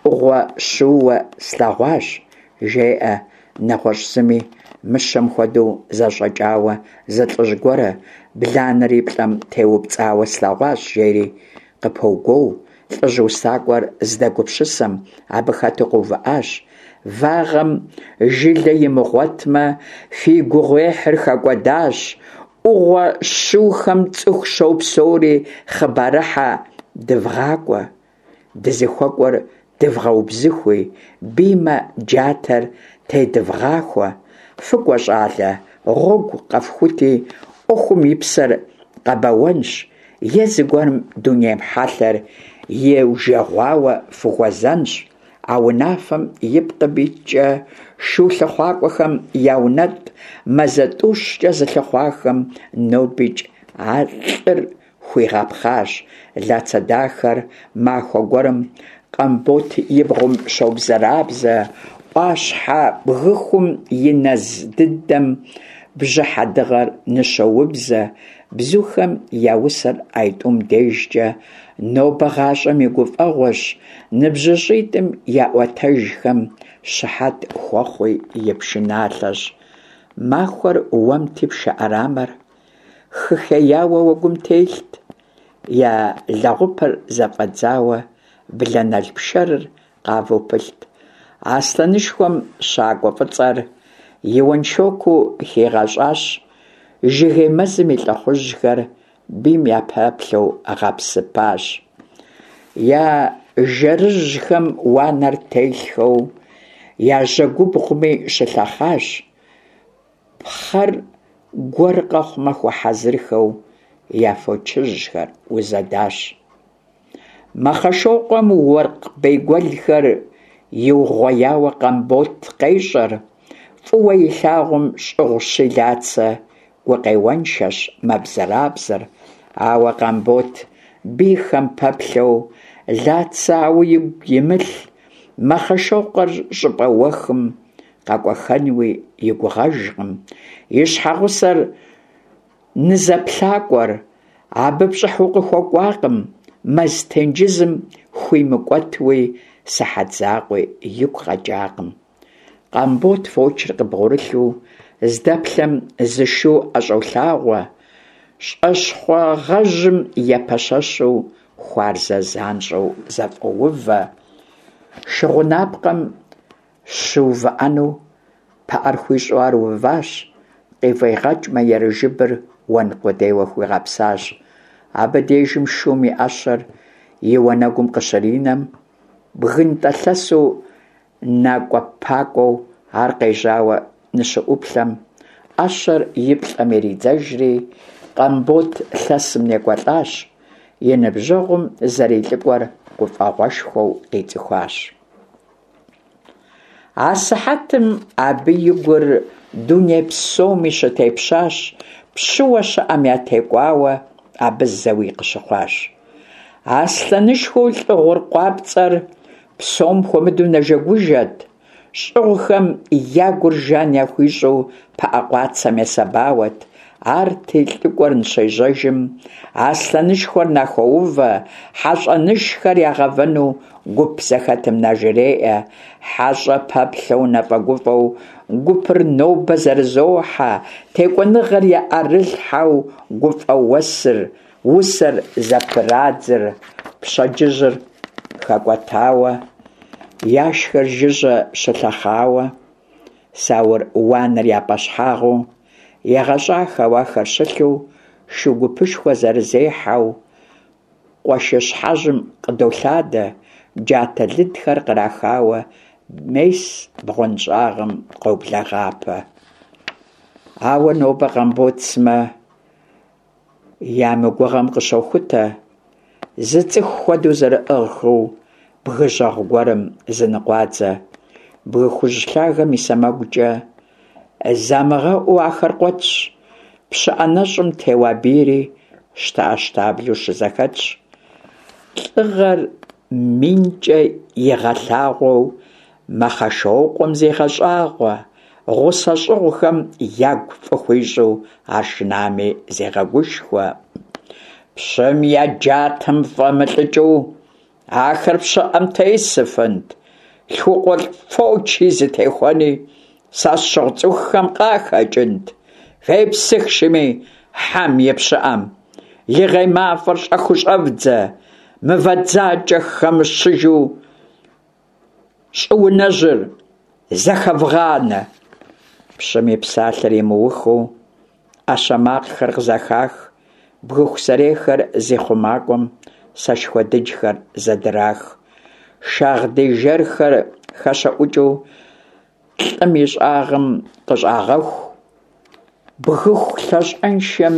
ӏугъуэ щыууэ слъэгъуащ, жеӏэ нэгъуэщӏ зыми, мыщэм хуэдэу зэщӏэкӏауэ зы лӏыжь гуэрэ, бланэр и плӏэм теупцӏауэ слъэгъуащ, жери къыпогуоу. Лӏыжь усакӏуэр зыдэгупсысэм абы хэту къэувыӏащ. Вагъэм жылэ имыгъуэтмэ, фи гугъуехьыр хэкӏуэдащ. ӏугъуэ щыухэм цӏыху щопсэури, хъыбарыхьэ дывгъакӏуэ. Дызыхуэкӏуэр дывгъэубзыхуи, биймэ джатэр тедывгъахуэ. Фыкӏуэ, щӏалэ, гъуэгу къэфхути, ӏуэхум и псэр къэбэуэнщ е зыгуэрым дуней хьэлъэр иужэгъуауэ фыхуэзэнщ. А унафэм ипкъ иткӏэ шу лъыхъуакӏуэхэм яунэтӏ, мазэ тӏущкӏэ зылъыхъуахэм нобикӏ а лӏыр хуигъэпхъащ. Лацэ дахэр махуэ гуэрым Къамбот и бгъум щобзэрабзэ, ӏуащхьэ бгыхум и нэз дыдэм бжьыхьэ дыгъэр ныщоубзэ. Бзухэм я усэр айтӏум дежкӏэ нобэ гъащӏэм и гуфӏэгъуэщ, ныбжьыщӏитӏым я ӏуэтэжхэм щыхьэт хуэхъуи и пшыналъэщ. Махуэр уэмти, пшэ ӏэрамэр хыхеяуэ уэгум телът, я лэгъупыр зэфӏэдзауэ блэнэл пшэрыр къавэу пылът. Аслъэнышхуэм щакӏуэ фӏыцӏэр и уэншэкуу хигъэщӏащ, жыгей мэзым и лӏыхъужьхэр бийм япэплъэу гъэпсыпащ. Я жэрыжьхэм уанэр телъхэу я жьэгубгъуми щылъэхъащ, пхъэр гуэр къэхъумэ хуэхьэзырхэу я фочыжьхэр узэдащ. Мэхъэшокъуэм уэркъ бейгуэлхэр иугъуеяуэ Къамбот къещӏэр. Фӏыуэ илъагъум щӏыгъущи Лацэ, гукъеуэншэщ, мэбзэрабзэр. Ауэ Къамбот бийхэм пэплъэу Лацэ ауи игу имылъ, Мэхъэшокъуэр щӏыпӏэ уэхым къэкӏуэххэнуи и гугъэжкъым. И щхьэгъусэр нызэплъакӏуэр абы пщӏыхьу къыхуэкӏуакъым, мэз тенджызым хуимыкӏуэтуи сыхьэт закъуи игу къэкӏакъым. Къамбот фочыр къыбгъурылъу здэплъэм зы шу ӏэщӏолъагъуэ, щӏэщхъугъэжьым епэщэщу хуарзэ занщӏэу зэфӏоувэ. Шы гъунапкъэм щыувыӏэну пыӏэр хуищӏу ар уващ, къыфӏигъэкӏмэ, ерыжыбыр уэн къудейуэ хуигъэпсащ. Абы дежым шум и ӏэщэр и уанэгум къыщринэм, бгынтӏэ лъэсу накӏуэпакӏуэу ар къежьауэ ныщыӏуплъэм, ӏэщэр и плӏэм иридзэжри, Къамбот лъэсым некӏуэлӏащ, и ныбжьэгъум зэрилӏыкӏуэр гуфӏэгъуэшхуэу къицӏыхуащ. Асыхьэтым абы и гур дуней псоми щытепщащ, пщыуэ щыӏэм ятекӏуауэ абы зэуи къыщыхъуащ. Аслъэнышхуэу лӏы гъур къуапцӏэр псом хуэмыдэу нэжэгужэт, щӏыгъухэм я гур жан яхуищӏу пыӏэ къуацэм есэбауэт. Арти лӏыкӏуэр ныщежьэжым, аслъэнышхуэр нахоувэ, хьэщӏэнышхэр ягъэвэну гуп зэхэтым нажреӏэ. Хьэщӏэ пэплъэу нэфӏэгуфӏэу гупыр нобэ зэрызохьэ, текӏуэныгъэр я ӏэрылъхьэу гуфӏэ усэр зэпырадзыр. Пщэдджыжьыр хэкӏуэтауэ, яшхэр жыжьэ щылъэхъауэ, саур уанэр я пӏэщхьагъыу, егъэщӏахэу ахэр щылъу, шу гупышхуэ зэрызехьэу къуэшыщхьэжьым къыдолъадэ, джатэ лыдхэр кърахауэ, мес бгъуэнщӏагъым къоблэгъапэ. Ауэ нобэ Къамбот сымэ я мыгугъэм къыщохутэ, зы цӏыху хуэдэу зэрыӏыгъхэу бгы жьэгъу гуэрым зыныкъуадзэ. Бгы хужь лъагэм и сэмэгукӏэ замыгъэӏуу ахэр къуэтщ, пщыӏэ нэщӏым теуа бийри щтэӏэщтаблэу щызэхэтщ. Лӏыгъэр минкӏэ игъэлъагъуэу Мэхъэшокъуэм зегъэщӏагъуэ, гъусэ щӏыгъухэм ягу фӏы хуищӏу ар шынами зегъэгушхуэ. Пщым я джатэм фӏэмылӏыкӏыу ахэр пщыӏэм тесыфынт, лъхукъуэлӏ фочи зытехуэни сэ сщӏыгъу цӏыхухэм къахэкӏынт. Фепсых шыми хьэм и пщыӏэм, лыгъей мафӏэр щӏэхыу щӏэвдзэ, мывэ дзакӏэ хэмыщыжу щӏыунэжьыр зэхэвгъанэ. Пщым и псалъэр имыухыу ӏэщэ макъхэр къызэхах, бгыху сэрейхэр зи хъумакӏуэм сэшхуэ дыджхэр зэдырах. Шагъдий жэрхэр хэщэӏукӏыу лӏым и щӏагъым къыщӏагъэху, бгыху лъащӏэншэм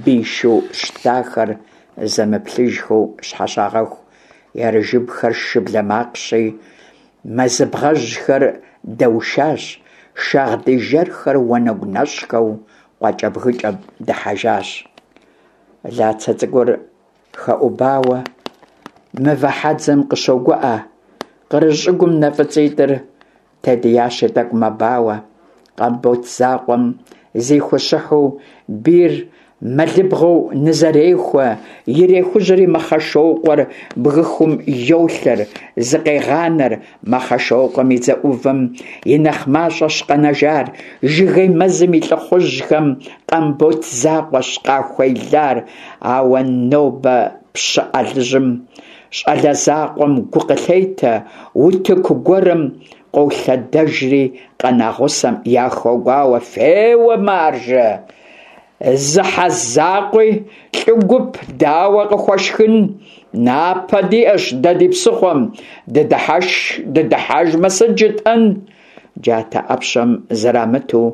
бий шу щтахэр зэмыплъыжхэу щхьэщагъэху. Ерыжыбхэр шыблэ макъщи, мэзыбгъэжьхэр дэушащ, шагъдий жэрхэр уанэгу нэщӏхэу къуакӏэбгыкӏэм дыхьэжащ. Лацэ цӏыкӏур хэӏубауэ мывэ хьэдзэм къыщогуӏэ, къырыжь щӏыгум нэ фӏыцӏитӏыр тедиящи тӏэкӏу мэбауэ. Къамбот закъуэм зихущыхьу бийр мэлыбгъэу нызэрехуэ, ирехужьэри Мэхъэшокъуэр бгыхум йолъэр, зыкъегъанэр. Мэхъэшокъуэм и дзэ ӏувым и нэхъ мащӏэщ къэнэжар, жыгей мэзым и лӏыхъужьхэм Къамбот закъуэщ къахуелар. Ауэ нобэ пщы ӏэлыжьым щӏалэ закъуэм гу къылъетэ, утыку гуэрым къолъэдэжри къэна гъусэм яхогуауэ: «Феуэ, маржэ! Зы хьэ закъуи лӏы гуп дауэ къыхуэшхын? Напэ диӏэщ дэ ди псыхъуэм, дыдыхьэжмэ сыт жытӏэн?» Джатэ ӏэпщэм зэрамыту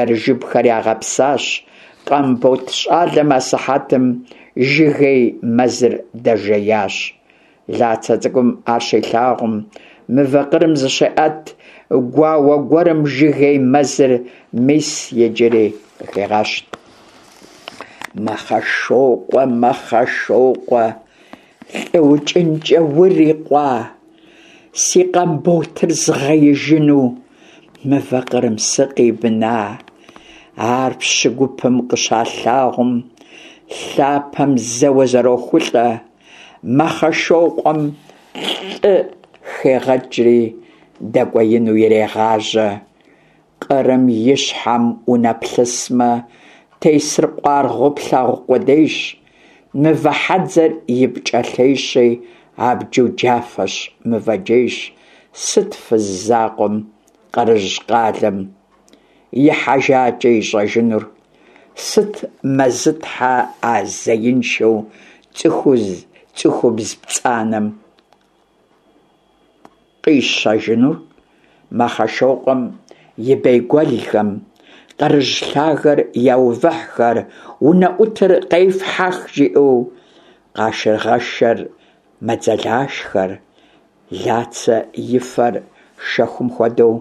ерыжыбхэр ягъэпсащ. Къамбот щӏалэм асыхьэтым жыгей мэзыр дэжеящ. Лацэ цӏыкӏум ар щилъагъум, мывэ къырым зыщеӏэт, Гуауэ гуэрым жыгей мэзыр мис иджыри къыхегъэщт. Мэхъэшокъуэ, Мэхъэшокъуэ, лӀы укӀынкӀэ урикъуа, си Къамботыр згъеижыну мывэ къырым сыкъибна? Ар пщы гупым къыщалъагъум, лъапэм зэуэ зэрохулӀэ. Мэхъэшокъуэм лӀы хегъэкӀри дэкӀуеину ирегъажьэ. Къырым и щхьэм унэплъысмэ, тесыр къуаргъыу плъагъу къудейщ. Мывэ хьэдзэр и пкӀэлъейщи, абджу джафэщ, мывэ джейщ. Сыт фыз закъуэм къырыжь къалэм ихьэжакӀэ ищӀэжынур? Сыт Мэзытхьэ а зеиншэу цӀыхубз пцӀанэм къищэжынур? Мэхъэшокъуэм и бейгуэлхэм къырыжь лъагэр яувыхьхэр, унэӀутыр къефхьэх жиӀэу. Къашыргъэшхэр мэдзэлашхэр. Лацэ и фэр шэхум хуэдэу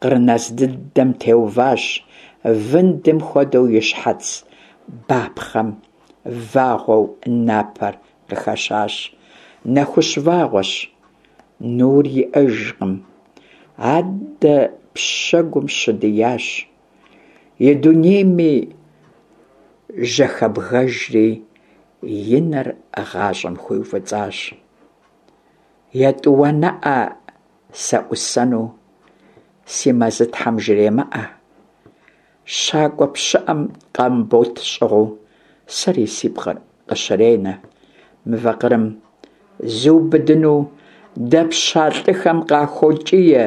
къыр нэз дыдэм теуващ, вындым хуэдэу и щхьэц бапхъэм вагъуэу напэр къыхэщащ. Нэхущ вагъуэщ, нур иӀэжкъым, аддэ пшэгум щыдиящ. И дунейми жьэхэбгэжри, и нэр гъащӀэм хуиуфӀыцӀащ. ЕтӀуанэӀэ сеӀусэну си Мэзытхьэм жремыӀэ. ЩакӀуэ пщыӀэм Къамбот щӀыгъуу сэри си пкъыр къыщренэ. Мывэ къырым зыубыдыну дэпща лӀыхэм къахокӀие,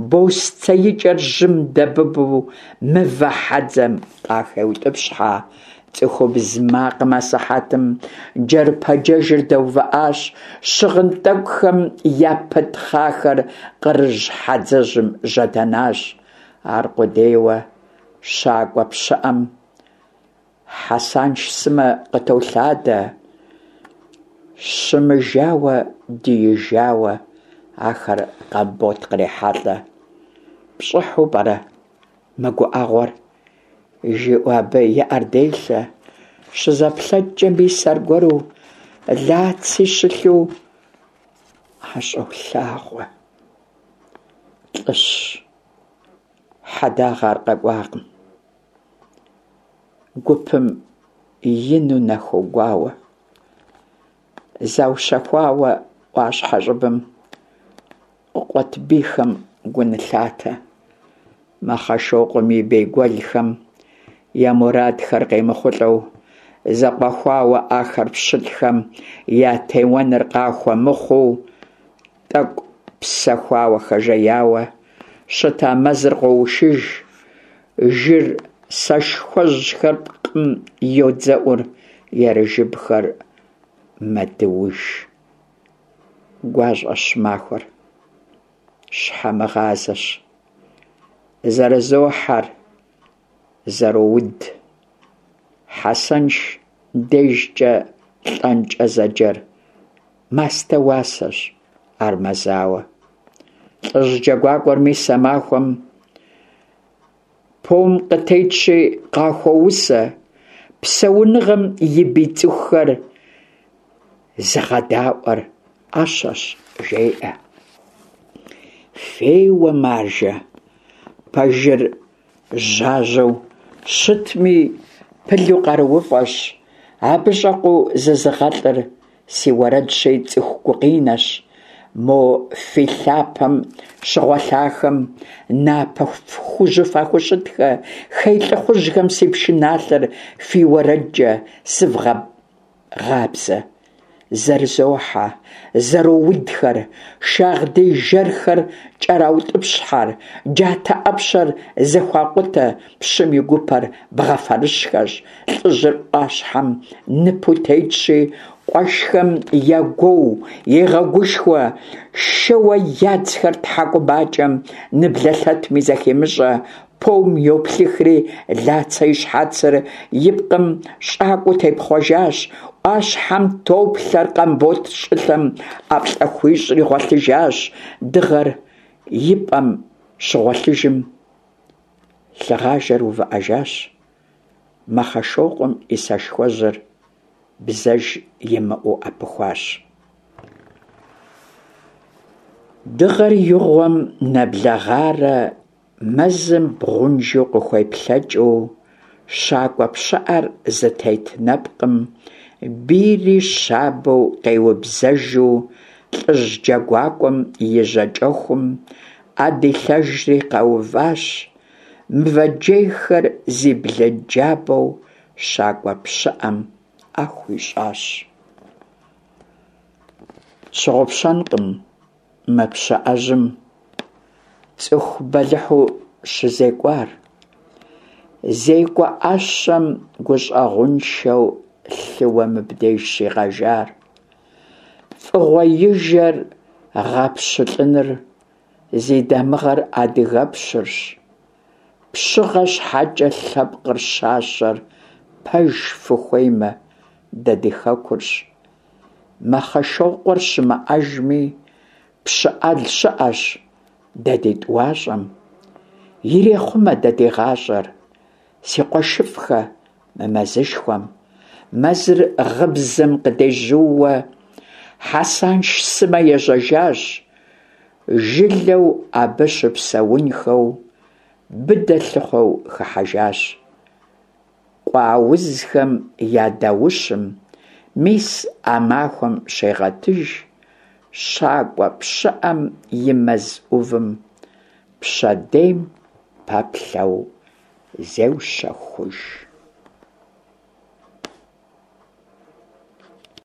бостеикӀэр жьым дэбыбу мывэ хьэдзэм къахеутӀыпщхьэ. ЦӀыхубз макъым асыхьэтым джэрпэджэжыр дэувыӀащ, щыгъын тӀэкӀухэм япытхъахэр къырыжь хьэдзэжьым жьэдэнащ. Аркъудейуэ щакӀуэ пщыӀэм Хьэсанш сымэ къытолъадэ. Щымыжауэ, диижауэ ахэр Къамбот кърехьэлӀэ. ПщӀыхьу пӀэрэ мы гуӀэгъуэр, жиӀэу абы и Ӏэр делъэ. ЩызэплъэкӀкӀэ, мис аргуэру Лаци щылъу ӀэщӀолъагъуэ. ЛӀыщ, хьэдагъэ ар къэкӀуакъым. Гупым ину нахогуауэ. Заущэхуауэ Ӏуащхьэ щӀыбым къыкъуэт бийхэм гу нылъатэ. Мэхъэшокъуэм и бейгуэлхэм я мурадхэр къемыхъулӀэу, зэкъуэхуауэ ахэр пщылӀхэм ятеуэныр къахуэмыхъуу, тӀэкӀу псэхуауэ хэжеяуэ щыта мэзыр къоушыж. Жыр сэшхуэжьхэр пкъым йодзэӀур, ерыжыбхэр мэдууж. ГуащӀэщ махуэр, щхьэмыгъазэщ. Зэрызохьэр, зэроуд. Хьэсэнш дежкӀэ лӀэнкӀэ зэджэр мастэ уасэщ, ар мэзауэ. ЛӀыжь джэгуакӀуэр мис а махуэм пом къытетщи къахуоусэ, псэуныгъэм и бий цӀыхухэр зыгъэдаӀуэр Ӏэщэщ, жеӀэ. Феуэ, маржэ, пэжыр жьажьэу щытми, пылу къарууфӀэщ, абы щӀэкъуу зызыгъэлӀыр си уэрэдщи, цӀыху гукъинэщ. Мо фи лъапэм щыгъуэлъахэм напэ хужьу фахущытхэ, хей лӀыхъужьхэм си пшыналъэр фи уэрэдкӀэ сывгъэбгъабзэ. Зэрызохьэ, зэроудхэр, шагъдий жэрхэр кӀэраутӀыпщхьэр, джатэ Ӏэпщэр зэхуакъутэ, пщым и гупэр бгъэ фэрыщӀхэщ. ЛӀыжьыр Ӏуащхьэм ныпу тетщи, къуэшхэм ягуоу, егъэгушхуэ, шэуэ ядзхэр тхьэкӀумакӀэм ныблэлъэтми зэхемыщӀэ. Пом йоплъыхри, Лацэ и щхьэцыр и пкъым щӀакӀуэу тепхъуэжащ. Ӏуащхьэм топлъэр, Къамбот щӀылъэм ӀэплӀэ хуищӀри гъуэлъыжащ. Дыгъэр и пӀэм Щыгъуэлъыжым, лъыгъажэр увыӏэжащ, Мэхъэшокъуэм и сэшхуэжьыр бзэж имыӏэу ӏэпыхуащ. Дыгъэр игъуэм нэблэгъарэ мэзым бгъунжу къыхуеплъэкӏыу, щакӏуэ пщыӏэр зытет нэпкъым бийри щабэу къеубзэжу, лӏыжь джэгуакӏуэм и жьакӏэхум ӏэ дилъэжри къэуващ, мывэ джейхэр зи блынджабэу щакӏуэ пщыӏэм ӏэ хуищӏащ. Тщыгъупщэнкъым мы пщыӏэжьым цӏыху бэлыхьу щызекӏуар, зекӏуэ ӏэщэм гущӏэгъуншэу лъыуэ мыбдеж щигъэжар. Фӏыгъуэижэр гъэпщылӏыныр зи дамыгъэр адыгэпщырщ. Пщыгъэ щхьэкӏэ лъэпкъыр щащэр, пэж фыхуеймэ, дэ ди хэкурщ. Мэхъэшокъуэр щымыӏэжми, пщы ӏэл щыӏэщ дэ ди тӏуащӏэм. Ирехъумэ дэ ди гъащӏэр, си къуэшыфӏхэ, мы мэзышхуэм. Мэзыр гъыбзэм къыдежьууэ Хьэсанш сымэ ежьэжащ, жылэу абы щыпсэунхэу быдэ лъыхъуэу хыхьэжащ. Къуэ аузхэм я даущым мис а махуэм щегъэтыж щакӏуэ пщыӏэм и мэз ӏувым пщэдейм пэплъэу зеущэхуж.